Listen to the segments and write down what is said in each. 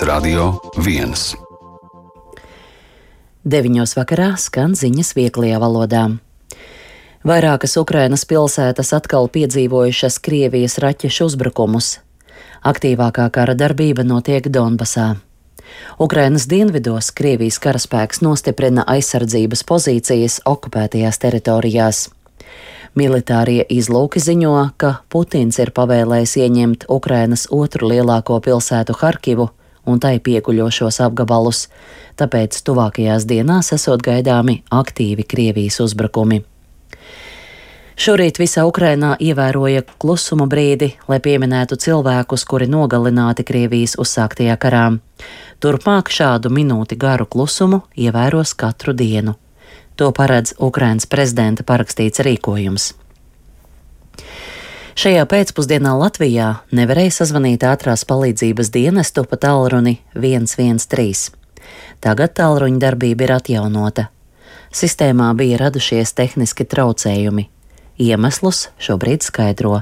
Radio 1. 9 vakarā skan ziņas vieglajā valodā. Vairākas Ukrainas pilsētas atkal piedzīvojušas Krievijas raķešu uzbrukumus. Aktīvākā kara darbība notiek Donbasā. Ukrainas dienvidos Krievijas karaspēks nostiprina aizsardzības pozīcijas okupētajās teritorijās. Militārie izlūki ziņo, ka Putins ir pavēlējis ieņemt Ukrainas otru lielāko pilsētu Harkivu un tai piekuļošos apgabalus, tāpēc tuvākajās dienās esot gaidāmi aktīvi Krievijas uzbrukumi. Šorīt visā Ukrainā ievēroja klusuma brīdi, lai pieminētu cilvēkus, kuri nogalināti Krievijas uzsāktajā karā. Turpmāk šādu minūti garu klusumu ievēros katru dienu. To paredz Ukrainas prezidenta parakstīts rīkojums. Šajā pēcpusdienā Latvijā nevarēja sazvanīt ātrās palīdzības dienestu pa tālruni 113. Tagad tālruņa darbība ir atjaunota. Sistēmā bija radušies tehniski traucējumi. Iemeslus šobrīd skaidro.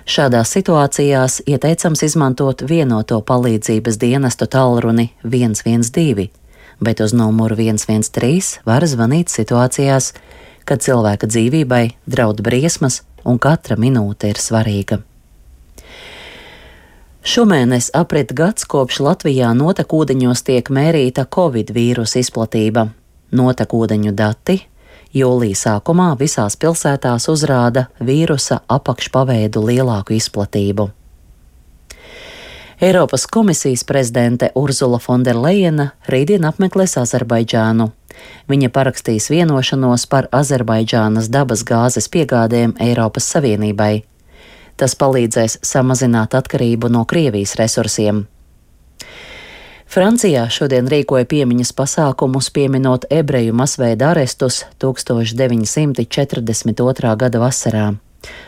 Šādās situācijās ieteicams izmantot vienoto palīdzības dienestu tālruni 112, bet uz numuru 113 var zvanīt situācijās, kad cilvēka dzīvībai draud briesmas un katra minūte ir svarīga. Šomēnes aprit gads, kopš Latvijā notekūdeņos tiek mērīta Covid vīrusa izplatība. Notekūdeņu dati jūlija sākumā visās pilsētās uzrāda vīrusa apakšpaveidu lielāku izplatību. Eiropas komisijas prezidente Urzula Fonderlejena rītdien apmeklēs Azerbaidžānu. Viņa parakstīs vienošanos par Azerbaidžānas dabas gāzes piegādēm Eiropas Savienībai. Tas palīdzēs samazināt atkarību no Krievijas resursiem. Francijā šodien rīkoja piemiņas pasākumus, pieminot ebreju masveida arestus 1942. Gada vasarā.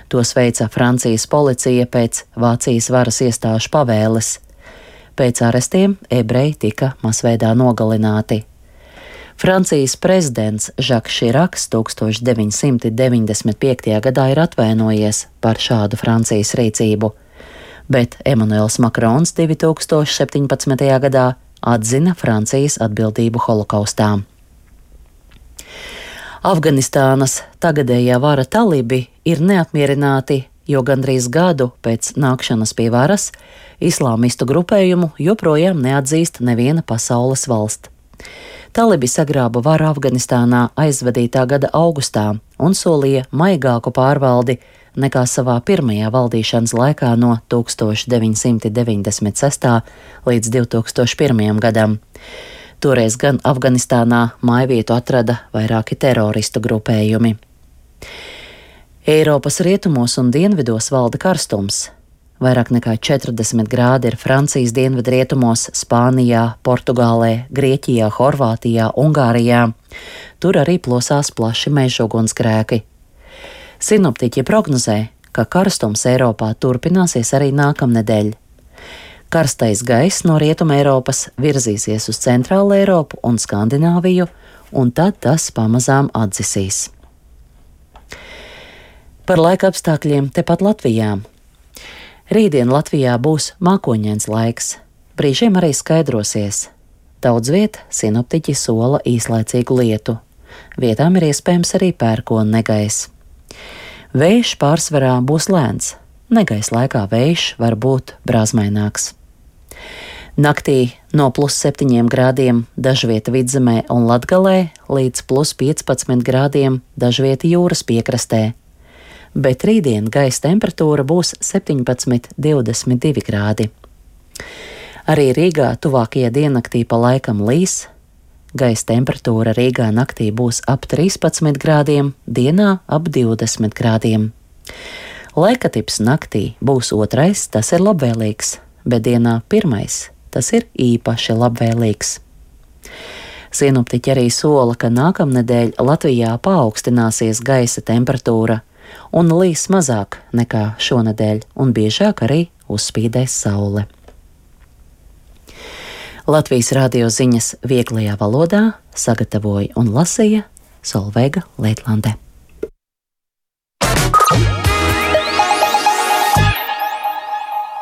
Tos veica Francijas policija pēc Vācijas varas iestāžu pavēles. Pēc arestiem ebreji tika masveidā nogalināti. Francijas prezidents Žaks Širaks 1995. gadā ir atvainojies par šādu Francijas rīcību, bet Emanuels Makrons 2017. gadā atzina Francijas atbildību holokaustā. Afganistānas tagadējā vara talibi ir neapmierināti, jo gandrīz gadu pēc nākšanas pie varas islāmistu grupējumu joprojām neatzīst neviena pasaules valsts. Talibi sagrāba varu Afganistānā aizvadītā gada augustā un solīja maigāku pārvaldi nekā savā pirmajā valdīšanas laikā no 1996. līdz 2001. gadam. Toreiz gan Afganistānā mājvietu atrada vairāki teroristu grupējumi. Eiropas rietumos un dienvidos valda karstums. Vairāk nekā 40 grādi ir Francijas dienvidrietumos, Spānijā, Portugālē, Grieķijā, Horvātijā, Ungārijā. Tur arī plosās plaši mežugunsgrēki. Sinoptiķi prognozē, ka karstums Eiropā turpināsies arī nākamnedēļ. Karstais gaiss no Rietuma Eiropas virzīsies uz Centrālu Eiropu un Skandināviju, un tad tas pamazām atdzisīs. Par laika apstākļiem tepat Latvijā. Rītdien Latvijā būs mākoņains laiks, brīžiem arī skaidrosies. Daudz viet sinoptiķi sola īslaicīgu lietu. Vietām ir iespējams arī pērkona negaiss. Vējš pārsvarā būs lēns, negaisa laikā vējš var būt brāzmaināks. Naktī no +7 grādiem dažvieta Vidzemē un Latgalē līdz +15 grādiem dažvieta jūras piekrastē, bet rītdien gaisa temperatūra būs 17–22 grādi. Arī Rīgā tuvākajā diennaktī pa laikam līs. Gaisa temperatūra Rīgā naktī būs ap 13 grādiem, dienā ap 20 grādiem. Laikatips naktī būs 2, tas ir labvēlīgs, bet dienā 1, tas ir īpaši labvēlīgs. Sinoptiķi arī sola, ka nākamnedēļ Latvijā paaugstināsies gaisa temperatūra un līs mazāk nekā šonedēļ, un biežāk arī uzspīdēs saule. Latvijas radio ziņas vieglajā valodā sagatavoja un lasīja Solveiga Leitlande.